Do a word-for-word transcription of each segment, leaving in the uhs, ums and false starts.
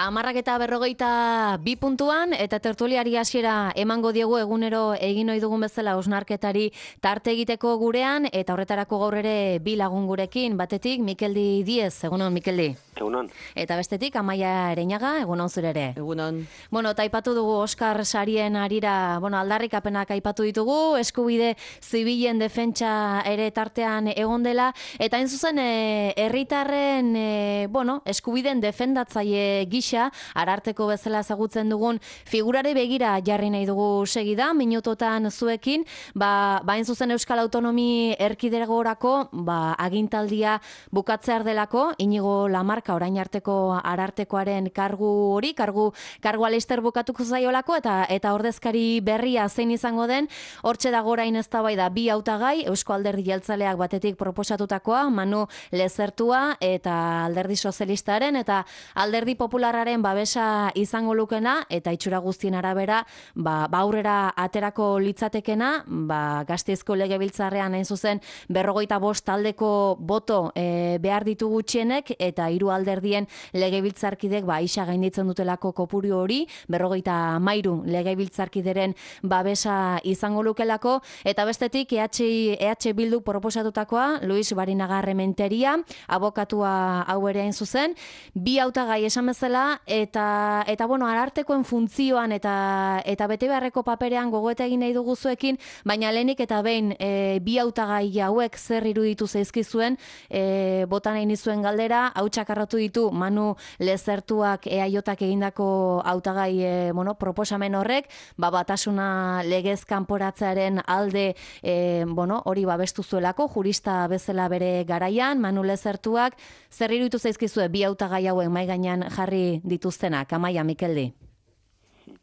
Amarrak eta berrogeita bi puntuan, eta tertuliari hasiera emango diegu egunero egin ohi dugun bezala osnarketari tarte egiteko gurean, eta horretarako gaur ere bi lagun gurekin, batetik Mikeldi Diez, egunon Mikeldi. Egunon. Eta bestetik Amaia Ereñaga, egunon zure ere. Egunon. Bueno, eta aipatu dugu Oskar sarien harira, bueno, aldarrikapenak aipatu ditugu, eskubide zibilen defentsa ere tartean egon dela, eta hain zuzen herritarren e, bueno, eskubideen defendatzaile gisa, Ararteko bezala ezagutzen dugun figurare begira jarri nahi dugu segida, minutotan zuekin, ba, ba hain zuzen Euskal Autonomi Erkidegorako ba, agintaldia bukatzear delako, Inigo Lamarka orain arteko Arartekoaren kargu hori, kargu kargua leister bukatuko zaiolako, eta eta ordezkari berria zein izango den, hortxe dago orain eztabaida bi hautagai, Eusko Alderdi Jeltzaleak batetik proposatutakoa, Manu Lezertua, eta Alderdi Sozialistaren eta Alderdi Popularraren babesa izango lukena, eta itxura guztien arabera, ba, ba aurrera aterako litzatekena, ba Gasteizko Legebiltzarrean hain zuzen berrogeita bost taldeko boto e, behar ditu gutxienek, eta hiru alderdien legebiltzarkidek ba isa gainditzen dutelako kopuru hori, berrogeita hamairu legebiltzarkideren babesa izango lukelako, eta bestetik EH, EH Bildu proposatutakoa, Luis Barinagarrementeria, abokatua hau ere hain zuzen, bi hautagai esan bezala, eta eta bueno, Arartekoen funtzioan eta eta bete beharreko paperean gogoeta egin nahi dugu zuekin, baina lehenik eta behin e, bi hautagai hauek zer iruditu zaizkizuen, e, bota nahi nizuen galdera, hau txakarratu ditu Manu Lezertuak eaiotak egindako hautagai e, bueno, proposamen horrek, ba, batasuna legez kanporatzearen alde e, bueno, hori babestu zuelako, jurista bezala bere garaian, Manu Lezertuak, zer iruditu zaizkizue bi hautagai hauen mahai gainean jarri dituztenak, Amaia, Mikeldi?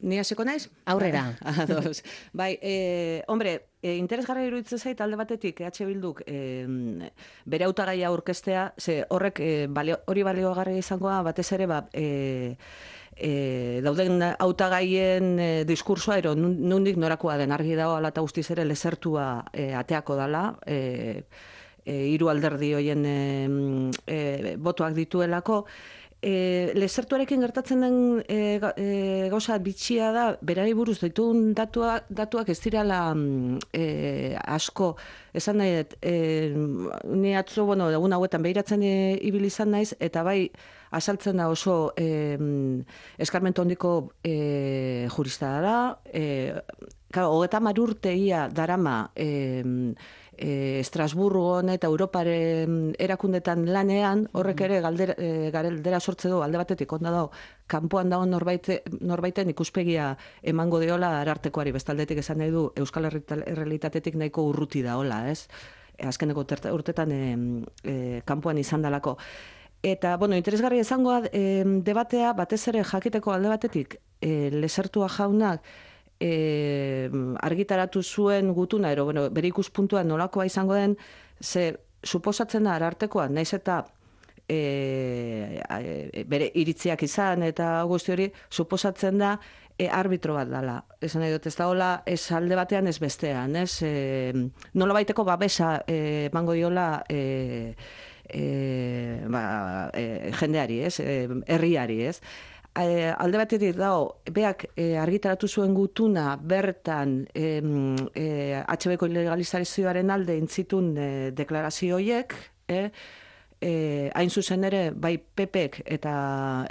Ni hasiko naiz? Aurrera. Ados. Bai, eh, hombre, e, interesgarra iruditzen zait alde batetik EH Bilduk e, bere hautagaia aurkeztea, ze horrek e, balio, hori baliogarria izangoa batez ere ba, e, e, dauden hautagaien e, diskursoa ero nundik norakoa den argi dago ala eta guztiz ere Lezertua e, ateako dala, e, e, hiru alderdi hoien e, e, botoak dituelako. E, Lezertuarekin gertatzen den e, e, gauza bitxia da, berari buruz dituen datua, datuak ez dirala e, asko, esan nahi, e, ni atzo, bueno, egun hauetan behiratzen e, ibili izan naiz, eta bai, asaltzen da oso e, eskarmentu handiko e, jurista da, e, hogeta hamar urte ia darama e, E, Estrasburgon eta Europaren erakundetan lanean, horrek ere galdera, e, galdera sortze du, alde batetik onda dago, kanpoan dago norbaite, norbaiten ikuspegia emango diola Arartekoari, bestaldetik esan nahi du Euskal Errealitatetik nahiko urruti daola, ez? E, azkeneko urtetan e, e, kanpoan izan dalako. Eta, bueno, interesgarria izangoa e, debatea, batez ere jakiteko alde batetik, e, Lezertua jaunak, E, argitaratu zuen gutuna, ero, bueno, bere ikuspuntua nolakoa izango den, ze suposatzen da Arartekoan, naiz eta e, e, bere iritziak izan, eta guzti hori, suposatzen da e, arbitro bat dela. Esan nahi dut, ez da hola, ez alde batean, ez bestean, ez? E, nola baiteko babesa e, mango diola e, e, ba, e, jendeari, ez? E, herriari, ez? E, alde batetik dago, beak e, argitaratu zuen gutuna bertan e, e, H B ko ilegalizazioaren alde intzitun e, deklarazio horiek, e, e, hain zuzen ere, bai P Pek eta,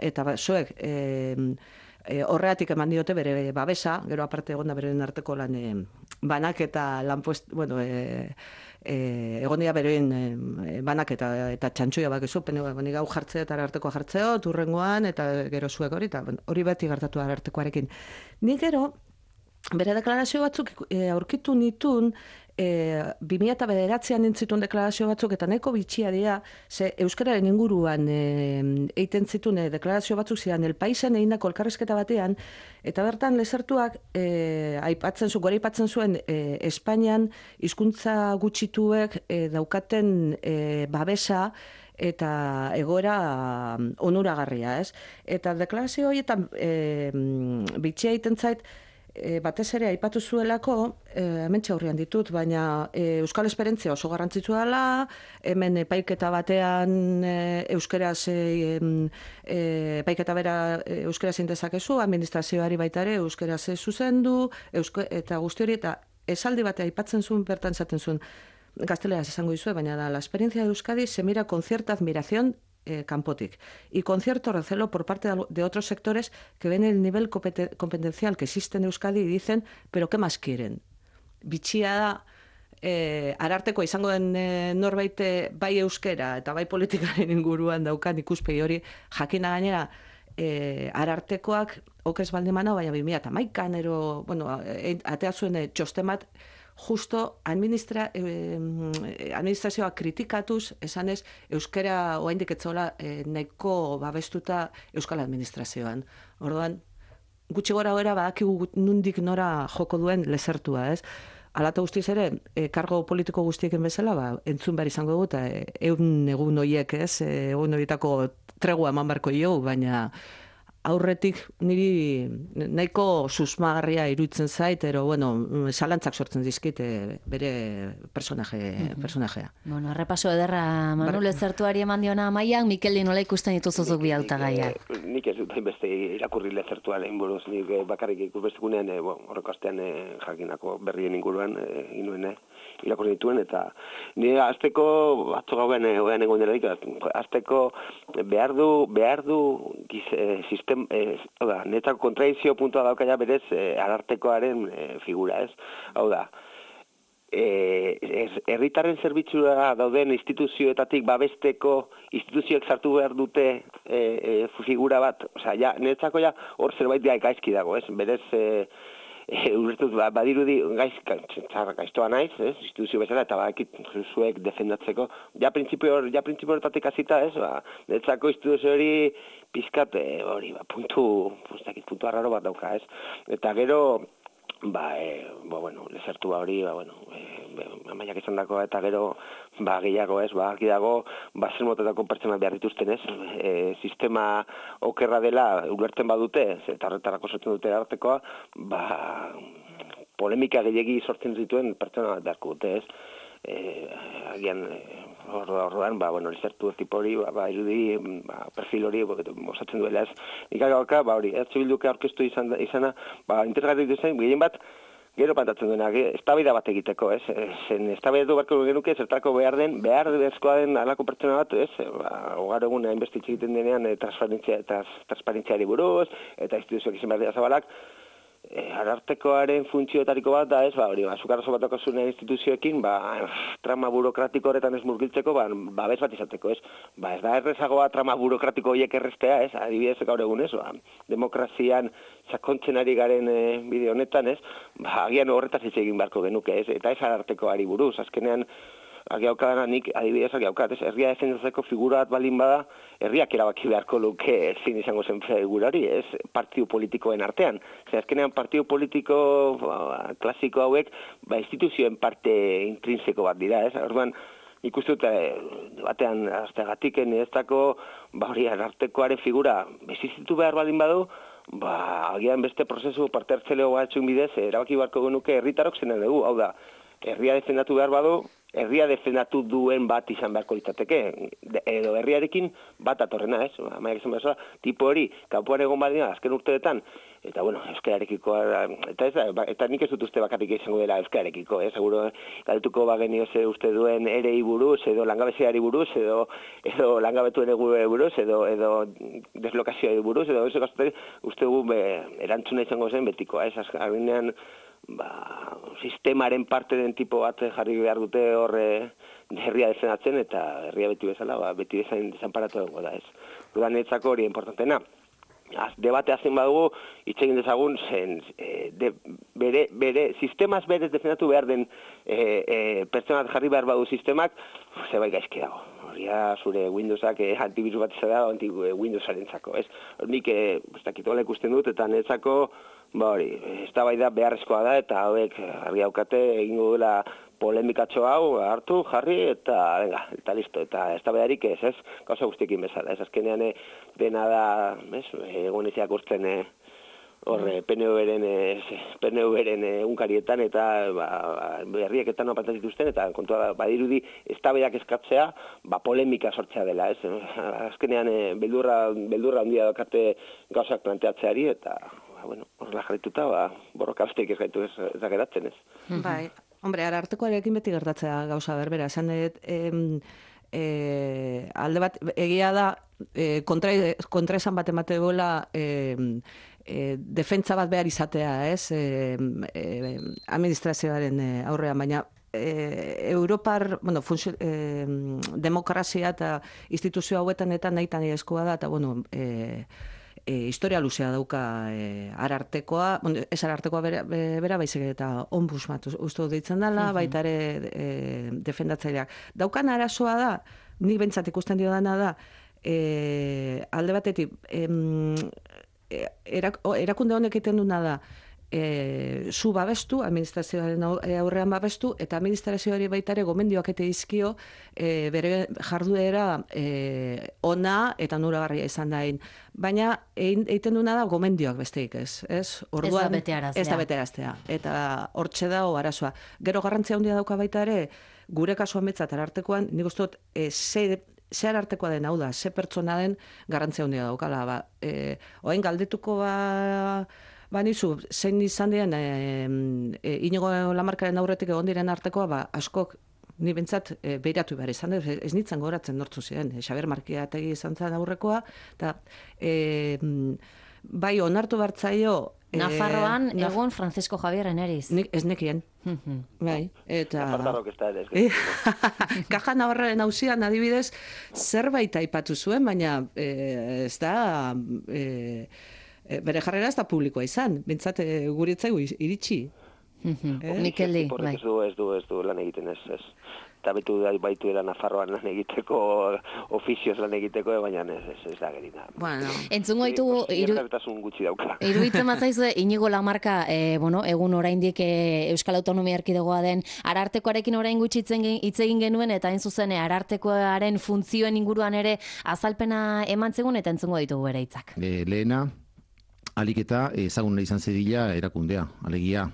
eta zuek e, e, horreatik eman diote bere babesa, gero aparte egon da beren arteko lan e, banak eta lanpuest, bueno, e, E, egon dira beroen e, banak eta, eta txantxoia bakizu, pene gau jartzea eta Arartekoa jartzeo, turrengoan, eta gero zuek hori, eta hori beti gertatu Arartekoarekin. Ni gero, bere deklarazio batzuk e, aurkitu nitun, e, bi mila bederatzean nintzitun deklarazio batzuk, eta nahiko bitxia dira, ze euskararen inguruan e, eiten zitun e, deklarazio batzuk ziren, El Paisen egindako elkarrizketa batean, eta bertan Lezertuak e, aipatzen zu, gore aipatzen zuen e, Espainian hizkuntza gutxituek e, daukaten e, babesa eta egoera onuragarria, ez? Eta deklarazio horietan e, bitxia egiten zait, e, batez ere aipatu zuelako, e, hemen txaurrian ditut, baina e, Euskal Esperientzia oso garrantzitsua dela, hemen epaiketa batean e, euskeraz e, e, epaiketa bera e, euskeraz indezakezu, administrazioari baita ere euskeraz zuzendu, euske, eta guzti hori, eta esaldi batea aipatzen zuen, bertan zaten zuen, gazteleraz esango dizue, baina da, la experiencia de Euskadi se mira con cierta admiración eh, kanpotik, y con cierto recelo por parte de otros sectores que ven el nivel competencial que existe en Euskadi y dicen, pero ¿qué más quieren? Bitxia da, eh, ararteko izango den eh, norbait bai euskera eta bai politikaren inguruan daukan ikuspegi hori, jakina gainera, eh, arartekoak okez baldimana, baina bi mila hamaikan ero, bueno, atea zuen eh, txosten bat, justo administra, eh, administrazioa kritikatuz, esanez, euskera oraindik etzola eh, nahiko babestuta euskal administrazioan. Orduan, gutxi gora gora badakigu nundik nora joko duen lezertua, ez? Alata guztiz ere, e, kargo politiko guztieken bezala, ba, entzun behar izango dugu, eta e, egun egun horiek, ez? E, egun horietako tregua eman barko jo, baina aurretik niri nahiko susmagarria iruditzen zait, ero, bueno, salantzak sortzen dizkit e, bere personaje, mm-hmm. personajea. Bueno, errepaso ederra Manu Lezertuari eman diona amaian, Mikeldi nola ikusten dituzuzuk bi hautagaiak? Nik ez dut beste irakurri Lezertuaren buruz, nik bakarrik ikusbestikunean, e, bon, horreko astean e, jakinako berrien inguruan e, inuen, e, irakurri dituen, eta nire azteko, atzo gauen egoean egon delarik, azteko behar du, behar du giz, e, sistem, e, hau da, netako kontradizio puntua daukaia berez e, arartekoaren e, figura, ez? Hau da, herritarren e, zerbitzura dauden instituzioetatik babesteko instituzioek sartu behar dute e, e, figura bat, osea, ja, netzako ja hor zerbait gaizki dago, ez? Berez, e, E, ulertut, ba, badirudi gaiz, gaiztoa naiz, ez, instituzio bezala, eta badakit zuek defendatzeko. Ja, printzipio ja, printzipio horretatik azita, ez, ba, netzako instituzio hori pizkat, hori, ba, puntu, puntu arraro bat dauka, ez. Eta gero, ba, e, ba, bueno, Lezertua hori, ba, bueno, e, amaiak izan dako, eta gero, ba, gehiago, ez, ba, argi dago, ba, zer motetako pertsona behar dituzten, ez, e, sistema okerra dela ulertzen badute, eta horretarako sortzen dute artekoa, ba, polemika gehiagi sortzen zituen pertsona bat beharko dute, ez, e, agian, orduan, ba, bueno, Lezertu tipo hori, ba, ba, irudi, ba, perfil hori, osatzen duela, ez, nik agauka, ba, hori, ez, zibilduke aurkeztu izan, izana, ba, interesgarri duzen, gehien bat, gero pantatzen duena, eztabaida bat egiteko, ez? Zen eztabaidatu barko genuke, zertako behar den, behar bezkoa den alako pertsona bat, ez? Ba, hogar egun hainbestitxe egiten denean e, transparentzia, eta transparentziari buruz, eta instituzioak izan behar dira zabalak, e, arartekoaren funtzioetariko bat da, ez? Ba, hori, ba, sukarrozo bat okazunea instituzioekin, ba, trama burokratiko horretan ez murgiltzeko, ba, babes bat izateko, ez? Ba, ez da errezagoa trama burokratiko horiek errestea, ez? Adibidez, gaur egun, ez? Ba, demokrazian sakontzen ari garen e, bide honetan, ez? Ba, agian horretaz hitz egin beharko genuke, ez? Eta ez arartekoari buruz, azkenean, agiaukadana nik, adibidez agiaukat, ez? Herria defendatzeko figura bat baldin bada, herriak erabaki beharko luke ezin izango zen figurari, ez? Partidu politikoen artean. Zer, azkenean partidu politiko ba, klasiko hauek, ba, instituzioen parte intrinseko bat dira, ez? Orduan, ikustu dut, batean, aztegatik, ez dako, ba, hori, arartekoaren figura, bezizitu behar baldin badu, ba, agian beste prozesu parte hartzeleo batzun bidez, erabaki beharko genuke herritarok zenen dugu, hau da, herria defendatu behar badu, herria defendatu duen bat izan beharko litzateke, edo herriarekin bat atorrena, ez? Amaiak izan behar, tipo hori, kanpoan egon badina, azken urteetan, eta, bueno, euskararekiko, eta ez da, eta nik ez dut uste bakarrik izango dela euskararekiko, eh? Seguro, galtuko bagenio ze uste duen erei buruz, edo langabeziari buruz, edo, edo langabetuen egure buruz, edo, edo deslokazioari buruz, edo ez uste gu erantzuna izango zen betikoa, ez? Azkenean, ba, sistemaren parte den tipo bat jarri behar dute horre herria defendatzen, eta herria beti bezala, ba, beti bezain desanparatu dago da, ez? Dudan netzako hori importantena. Az, debate hazen badugu, itxegin dezagun, zen, e, de, bere, bere, sistemaz berez defendatu behar den e, e, pertsonat jarri behar badu sistemak, zebai gaizki dago. Horia zure Windowsak e, antivirus bat izan da, anti Windowsaren zako, ez? Nik, e, ez dakitola ikusten dut, eta netzako, ba hori, eztabaida beharrezkoa da, eta hauek argi daukate egingo duela polemikatxo hau hartu, jarri, eta venga, eta listo, eta eztabaidarik ez, ez, gauza guztiekin bezala, ez azkenean dena da, ez, egon iziak urtzen, Horre, P N V-ren P N V-ren unkarietan eta ba, berrieketan apartan zituzten, eta kontua da, badirudi eztabaidak eskatzea, ba, polemika sortzea dela, ez? Azkenean, beldurra, beldurra handia dakarte gauzak planteatzeari, eta, ba, bueno, horrela jarrituta, ba, borroka besteik ez gaitu ez, ez geratzen, ez? Bai, hombre, arartekoarekin beti gertatzea gauza berbera, esan dut, em, e, alde bat, egia da, e, kontra, kontra esan bat emate duela, e, E, defentsa bat behar izatea, ez, e, e, administrazioaren aurrean, baina e, Europar, bueno, funtzio, e, demokrazia eta instituzio hauetan eta nahi tani eskoa da, eta, bueno, e, e, historia luzea dauka e, arartekoa, bueno, ez arartekoa bera, bera baizik eta ombudsman uste deitzen dela, baita ere e, defendatzaileak. Daukan arazoa da, nik bentsat ikusten dio dana da, e, alde batetik, em, Erak, erakunde honek egiten duna da e, zu babestu, administrazioaren aurrean babestu, eta administrazioari baita ere gomendioak eta izkio e, bere jarduera e, ona eta nuragarria izan dain. Baina egiten duna da gomendioak besteik ez. Ez, Orduan, ez da betearaztea. Ez da betearaztea. Eta hortxe dago arazoa. Gero garrantzia handia dauka baita ere, gure kasuan betzat arartekoan, nik uste dut, e, ze ze arartekoa den, hau da, ze pertsona den garrantzia handia daukala. Ba, e, oain galdetuko ba, ba nizu, zein izan diren, e, e, Inigo Lamarkaren aurretik egon diren artekoa, ba, askok, ni bentsat, e, beiratu behar izan, ez, ez nintzen goratzen nortzu ziren, e, Xabier Markiategi izan zen aurrekoa, eta e, bai, onartu bartzaio, Nafarroan, e, egun Francisco Javier Eneriz. Nik, ez nekien. Bai, eta... Nafartarrok ez da ere. Kaja Navarraren hausian adibidez, zerbait aipatu zuen, baina e, ez da... E, bere jarrera ez da publikoa izan. Bintzat, e, guritzaigu iritsi. Mikeldi, bai. Ez du, ez du, ez du lan egiten ez, ez. Eta betu baitu era Nafarroan lan egiteko, ofizioz lan egiteko, baina ez, ez, ez da gerina. Bueno. Entzungo ditugu... Iru... gutxi dauka. Iruditzen bazaizue, Inigo Lamarka, e, bueno, egun oraindik e, Euskal Autonomia Erkidegoa den, arartekoarekin orain gutxi hitz egin genuen, eta hain zuzen arartekoaren funtzioen inguruan ere azalpena emantzegun, eta entzungo ditugu ere hitzak. E, lehena, alik eta ezaguna izan zedila erakundea, alegia.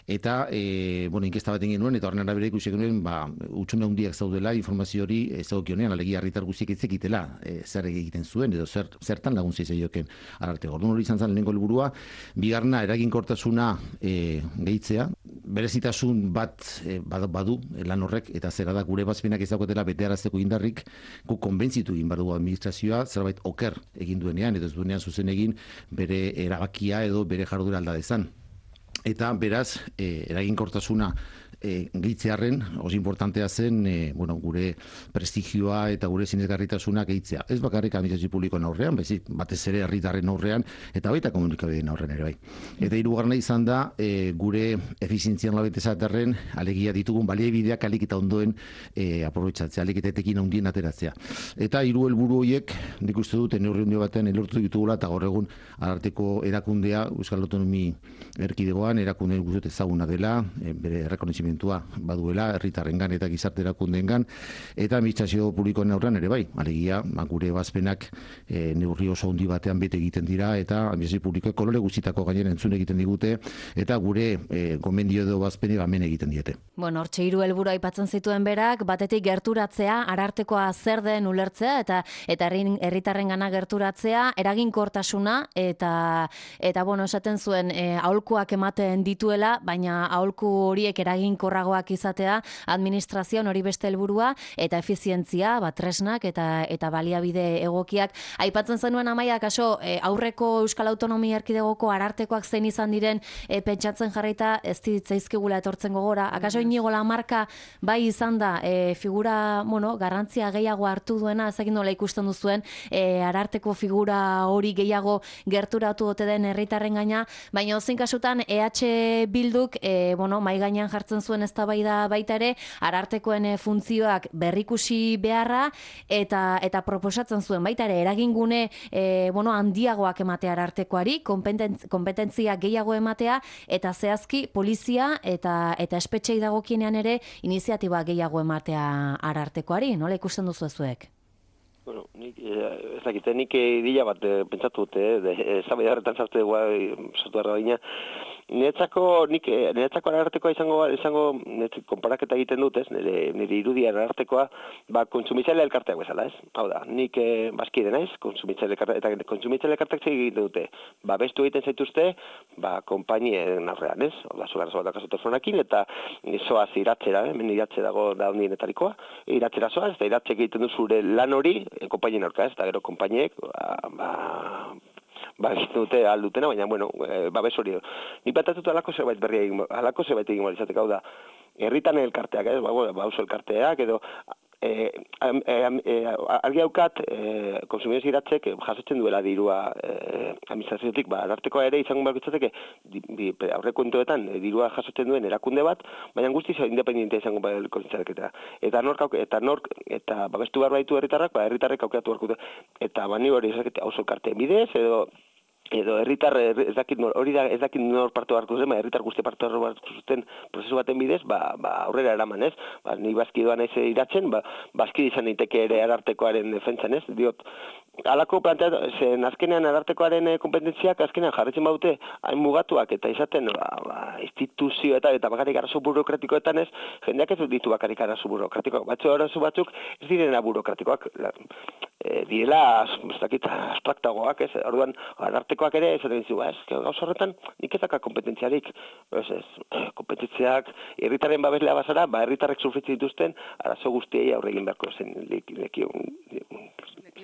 Eta, e, bueno, inkesta bat egin genuen, eta horren arabera ikusi genuen, ba, utxune handiak zaudela informazio hori ezagokionean, alegia herritar guztiek ez zekitela e, zer egiten zuen, edo zer, zertan laguntza izaioken ararteko. Orduan hori izan zen lehenengo helburua, bigarna eraginkortasuna e, gehitzea, berezitasun bat e, badu lan horrek, eta zera da gure bazpenak ez daukatela betearazteko indarrik, gu konbentzitu egin behar dugu administrazioa, zerbait oker egin duenean, edo ez duenean zuzen egin bere erabakia edo bere jardura alda dezan. Eta beraz, eh, eraginkortasuna e, gehitzearen, oso importantea zen, e, bueno, gure prestigioa eta gure sinesgarritasuna gehitzea. Ez bakarrik administrazio publikoen aurrean, baizik batez ere herritarren aurrean eta baita komunikabideen aurrean ere bai. Eta hirugarrena izan da e, gure efizientzian labetezaterren alegia ditugun baliabideak alik eta ondoen e, aprobetxatzea, alik eta etekin handien ateratzea. Eta hiru helburu horiek, nik uste dut, neurri handi batean elortu ditugula eta gaur egun ararteko erakundea Euskal Autonomia Erkidegoan erakunde guztiet ezaguna dela, e, bere errekonozimentua baduela herritarrengan eta gizarte erakundeengan eta administrazio publikoen aurrean ere bai. Alegia, gure ebazpenak e, neurri oso handi batean bete egiten dira eta administrazio publikoek kolore guztietako gainera entzun egiten digute eta gure e, gomendio edo ebazpeni hemen egiten diete. Bueno, hortxe hiru helburu aipatzen zituen berak, batetik gerturatzea, arartekoa zer den ulertzea eta eta herritarrengana gerturatzea, eraginkortasuna eta eta bueno, esaten zuen e, aholkuak ematen dituela, baina aholku horiek eraginkorragoak izatea, administrazioan hori beste helburua eta efizientzia, bat tresnak eta eta baliabide egokiak. Aipatzen zenuen Amaia, kaso e, aurreko Euskal Autonomia Erkidegoko arartekoak zein izan diren e, pentsatzen jarraita ez ditzaizkigula etortzen gogora. Akaso Inigo Lamarka bai izan da e, figura, bueno, garrantzia gehiago hartu duena, ezakin nola ikusten duzuen, e, ararteko figura hori gehiago gerturatu ote den herritarren gaina, baina ozein kasutan E H Bilduk e, bueno, mai gainean jartzen zuen eztabaida baita ere, arartekoen e, funtzioak berrikusi beharra eta eta proposatzen zuen baita ere eragingune e, bueno, handiagoak ematea arartekoari, konpetentzia gehiago ematea eta zehazki polizia eta eta espetxei dagokienean ere iniziatiba gehiago ematea arartekoari. Nola ikusten duzu zuek? Bueno, nik, ez dakite, nik idila bat e, pentsatu dute, ez da horretan sartu dugu, sartu erra baina, niretzako, nik, niretzako arartekoa izango, izango niretzak konparaketa egiten dut, ez, nire, nire irudia arartekoa, ba, kontsumitzaile elkarteak bezala, ez? Hau da, nik e, bazkide naiz, kontsumitzaile elkarteak, eta kontsumitzaile elkarteak zeik egiten dute, ba, bestu egiten zaituzte, ba, konpainien arrean, ez? Hau da, zugarra zoa dakazu telefonakin, eta zoaz iratzera, eh? Hemen iratze dago da ondienetarikoa, iratzera zoaz, eta iratze egiten du zure lan hori, konpainien aurka, ez? Eta gero konpainiek, ba, ba, ba, egiten dute aldutena, baina, bueno, e, babes hori. Ni patatutu alako zerbait berri egin, alako zerbait egin balizatek, hau da, herritan elkarteak, ez? Ba, ba, oso elkarteak, edo, e, e, e, argi haukat, e, konsumidez iratzek jasotzen duela dirua e, administraziotik, ba, arartekoa ere izango barkitzateke, di, aurrekontuetan e, dirua jasotzen duen erakunde bat, baina guztiz independientea izango barko litzateke. Eta nork, eta nork, eta babestu behar baitu herritarrak, ba, herritarrek aukeratu barko dute. Eta bani hori ezakete oso elkarteen bidez, edo, edo herritar ez dakit nor, hori da ez dakit nor partu hartu zen, ba herritar guzti partu hartu zuten prozesu baten bidez, ba, ba aurrera eraman, ez? Ba ni bazkidoa naiz iratzen, ba bazkide izan daiteke ere arartekoaren defentsan, ez? Diot, halako planteatu, zen azkenean arartekoaren konpetentziak azkenean jarritzen baute hain mugatuak eta izaten ba, ba, instituzio eta eta bakarrik arazo burokratikoetan, ez? Jendeak ez ditu bakarrik arazo burokratikoak, batzu arazo batzuk ez direna burokratikoak, la, e, direla ez dakit abstraktagoak, ez? Orduan arartekoak ere ez egin zu, ez? Gauza horretan nik ez daka kompetentziarik, ez ez, kompetentziak herritarren babeslea bazara, ba herritarrek sufritzen dituzten arazo guztiei aurre egin beharko zen lekion.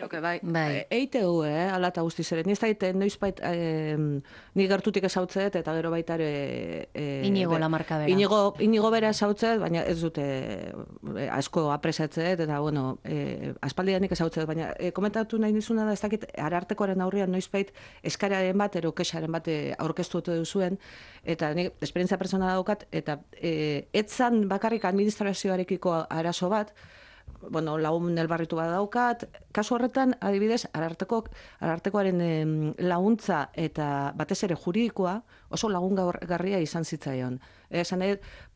Oke, bai. bai. Eite hu, eh, ala eta guztiz ere. Ni ez daite noizbait eh, ni gertutik ezautzet eta gero baita ere eh, Inigo Lamarca bera. Inigo Inigo bera ezautzet, baina ez dute eh, asko apresatzet eta bueno, eh, aspaldianik ezautzet, baina eh, komentatu nahi dizuna da ez dakit arartekoaren aurrean noizbait eskararen bat ero kexaren bat aurkeztu dute duzuen eta ni esperientzia pertsonala daukat eta eh, etzan bakarrik administrazioarekiko arazo bat, bueno, lagun elbarritu bat daukat, kasu horretan, adibidez, ararteko, arartekoaren em, laguntza eta batez ere juridikoa oso lagungarria izan zitzaion. Esan nahi,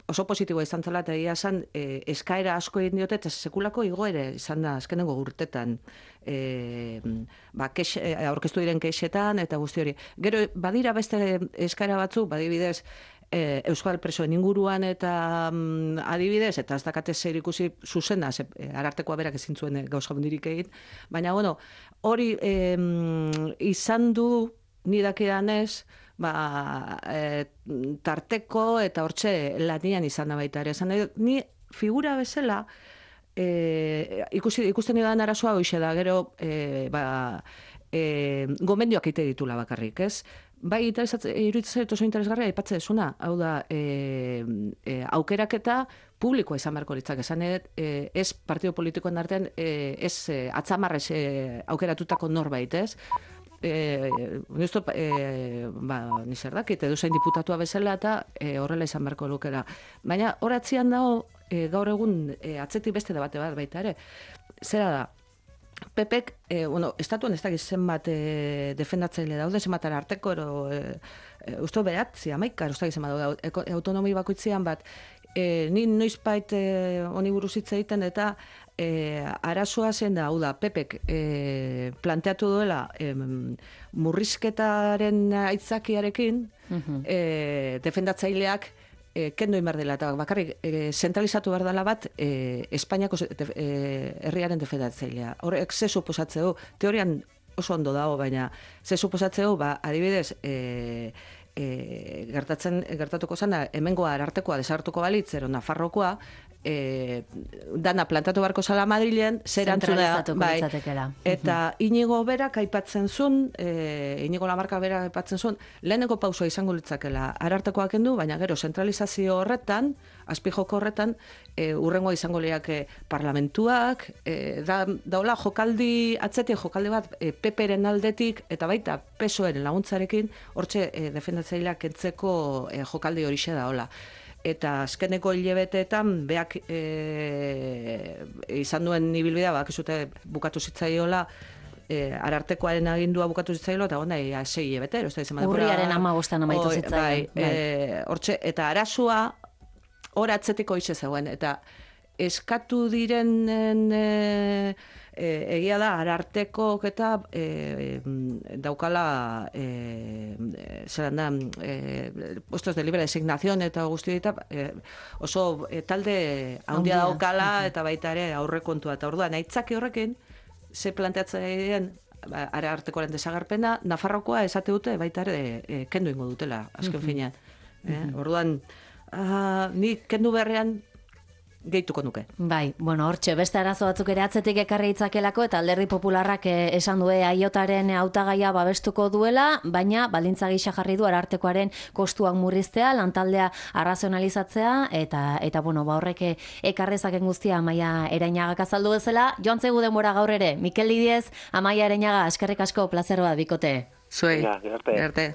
oso positiboa izan zela, eta egia esan, e, eskaera asko egin diote, eta sekulako igoere izan da, azkenengo urtetan. E, ba, kex, e, aurkeztu diren kexetan, eta guzti hori. Gero, badira beste eskaera batzuk, badibidez, E, Euskal presoen inguruan eta mm, adibidez, eta ez dakate zer ikusi zuzena, ze, e, arartekoa berak ezin zuen gauza hondirik egin, baina, bueno, hori e, izan du ni dakidanez, ba, e, tarteko eta hortxe lanian izan da baita ere. Esan, ni figura bezala, e, ikusi, ikusten edan arazoa hoxe da, gero, e, ba, e, gomendioak ite ditula bakarrik, ez? Bai, iruditzen zait oso interesgarria aipatze desuna, hau da, e, e, aukeraketa publikoa izan beharko litzak, esan edo, e, ez partido politikoen artean, e, ez e, atzamarrez e, aukeratutako norbait, ez? E, Nizto, e, ba, nizer dakit, edo zain diputatua bezala eta e, horrela izan beharko lukera. Baina horatzian dago, e, gaur egun e, atzetik beste debate bat baita ere. Zera da, Pepek, eh, bueno, estatuan ez dakiz zenbat eh, defendatzaile daude, zenbat ararteko, ero, eh, eh, uste beratzi, amaika, ez dakiz zenbat daude, autonomi bakoitzean bat, eh, ni noizbait eh, honi buruz hitz egiten eta eh, arazoa zen da, hau da, Pepek eh, planteatu duela eh, murrizketaren aitzakiarekin, uh-huh. eh, defendatzaileak E, kendo inbar dela, eta bakarrik e, zentralizatu behar dela bat e, Espainiako e, herriaren defendatzailea. Horrek ze suposatzeu, teorian oso ondo dago, baina ze suposatzeu, ba, adibidez, e, e, gertatzen, gertatuko zana, hemengoa arartekoa desartuko balitz, ero Nafarrokoa, e, dana plantatu barko zala Madrilen, zer antzuna, bai, eta Inigo berak aipatzen zuen, e, Inigo Lamarca berak aipatzen zuen, leheneko pausua izango litzakela arartekoak endu, baina gero zentralizazio horretan, azpijoko horretan, e, urrengoa izango lehiake parlamentuak, e, da, daula jokaldi, atzetik jokaldi bat, e, Peperen aldetik, eta baita pesoeren laguntzarekin, hortxe e, defendatzaileak entzeko e, jokaldi horixe da hola. Eta azkeneko hilabeteetan beak e, izan duen ibilbidea, bakizute bukatu zitzaiola, e, arartekoaren agindua bukatu zitzaiola, eta onda, ja, sei hilabete, urriaren hamabostan amaitu zitzaiola. Bai, e, hortxe, eta arazoa hor atzetiko hoize zegoen, eta eskatu diren e, e, egia da, arartekok eta e, daukala e, zelan da, e, puestos de libre designación eta guzti eta e, oso e, talde handia daukala eta baita ere aurrekontua. Eta orduan, aitzaki horrekin, ze planteatzen ba, arartekoaren desagarpena, Nafarrokoa esate dute baita ere e, kendu ingo dutela, azken finean. Eh? Orduan, ah, ni kendu beharrean gehituko nuke. Bai, bueno, hortxe, beste arazo batzuk ere atzetik ekarri itzakelako eta Alderdi Popularrak eh, esan du aiotaren hautagaia babestuko duela, baina baldintza gisa jarri du arartekoaren kostuak murriztea, lantaldea arrazionalizatzea eta eta bueno, ba horrek ekarrezaken guztia Amaia Ereñagak azaldu bezala. Joan zaigu denbora gaur ere. Mikel Lidiez, Amaia Ereñaga, eskerrik asko, plazer bat bikote. Zuei. Ja, gerte. Gerte.